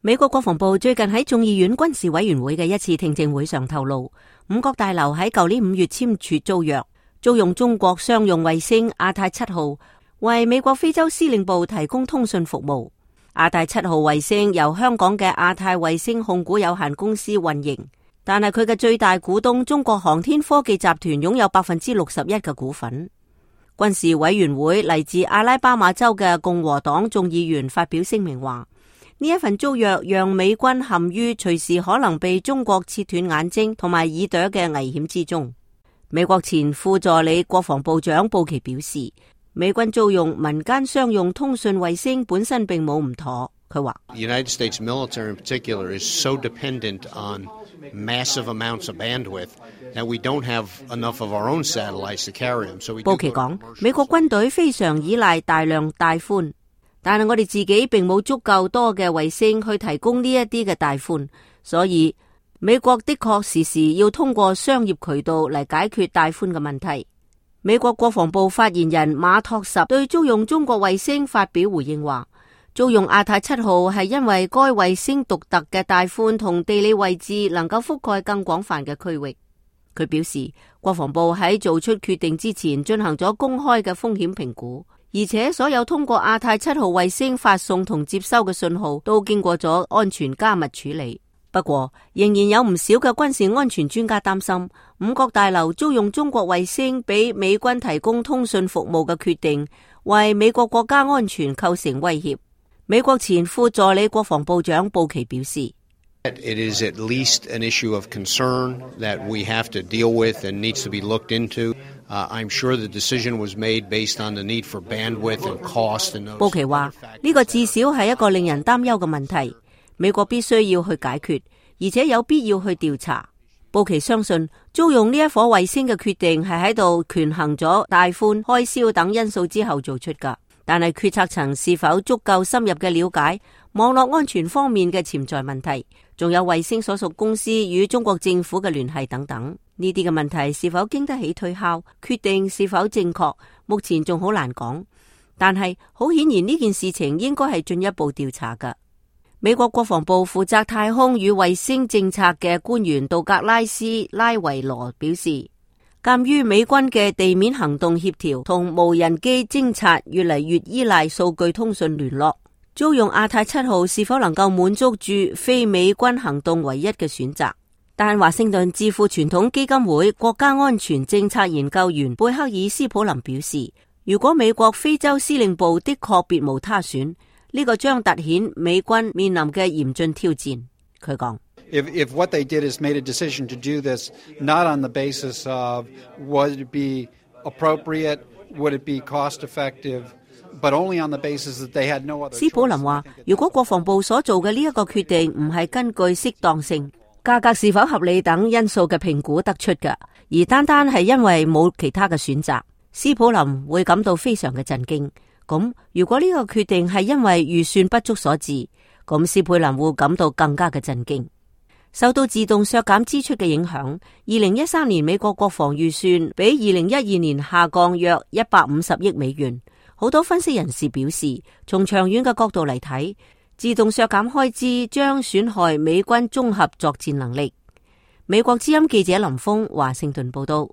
美國國防部最近喺眾議院軍事委員會嘅一次聽證會上透露，五角大樓喺舊年5月簽署租約，租用中國商用衛星亞太7號為美國非洲司令部提供通訊服務。亞太7號衛星由香港嘅亞太衛星控股有限公司運營，但係佢嘅最大股東中國航天科技集團擁有61%嘅股份。軍事委員會嚟自阿拉巴馬州嘅共和黨眾議員發表聲明話，呢一份租約讓美軍陷於隨時可能被中國切斷眼睛同埋耳朵嘅危險之中。美國前副助理國防部長布奇表示，美軍租用民間商用通訊衛星本身並冇唔妥。佢話United States military in particular is so dependent on massive amounts of bandwidth that we don't have enough of our own satellites to carry them. So we 布奇講，美國軍隊非常依賴大量帶寬，但係我哋自己並冇足夠多嘅衛星去提供呢一啲嘅帶寬，所以美國的確時時要通過商業渠道嚟解決帶寬嘅問題。美國國防部發言人馬托什對租用中國衛星發表回應話，租用亞太7號係因為該衛星獨特嘅帶寬同地理位置能夠覆蓋更廣泛嘅區域。佢表示，國防部喺做出決定之前進行咗公開嘅風險評估，而且所有通過亞太7號衛星發送同接收嘅信號都經過咗安全加密處理。不過，仍然有唔少嘅軍事安全專家擔心，五角大樓租用中國衛星俾美軍提供通訊服務嘅決定，為美國國家安全構成威脅。美國前副助理國防部長布奇表示， It is at least an issue of concern that we have to deal with and needs to be looked into. I'm sure the decision was made based on the need for bandwidth and cost and those. 布奇話，呢個至少係一個令人擔憂嘅問題，美國必須要去解決，而且有必要去調查。布奇相信租用呢一顆衛星嘅決定係喺度權衡咗帶寬、開銷等因素之後做出㗎，但係決策層是否足夠深入嘅了解網絡安全方面嘅潛在問題，仲有衛星所屬公司與中國政府嘅聯繫等等，呢啲嘅問題是否經得起推敲，決定是否正確，目前仲好難講。但係好顯然呢件事情應該係進一步調查㗎。美國國防部負責太空與衛星政策嘅官員杜格拉斯·拉維羅表示，鑒於美軍嘅地面行動協調同無人機偵察越嚟越依賴數據通訊聯絡，租用亞太7號是否能夠滿足住非美軍行動唯一嘅選擇。但華盛頓智庫傳統基金會國家安全政策研究員貝克爾斯普林表示，如果美國非洲司令部的確別無他選，呢個將凸顯美軍面臨嘅嚴峻挑戰。佢講，If what they did is made a decision to do this not on the basis of would it be appropriate, would it be cost effective, but only on the basis that they had no other choice。斯普林話，如果國防部所做嘅呢一個決定唔係根據適當性、價格是否合理等因素嘅評估得出嘅，而單單係因為冇其他嘅選擇，斯普林會感到非常嘅震驚。咁如果呢個決定係因為預算不足所致，咁斯佩林會感到更加嘅震驚。受到自動削減支出嘅影響，2013年美國國防預算比2012年下降約150億美元。好多分析人士表示，從長遠嘅角度嚟睇，自動削減開支將損害美軍綜合作戰能力。美國之音記者林峰華盛頓報道。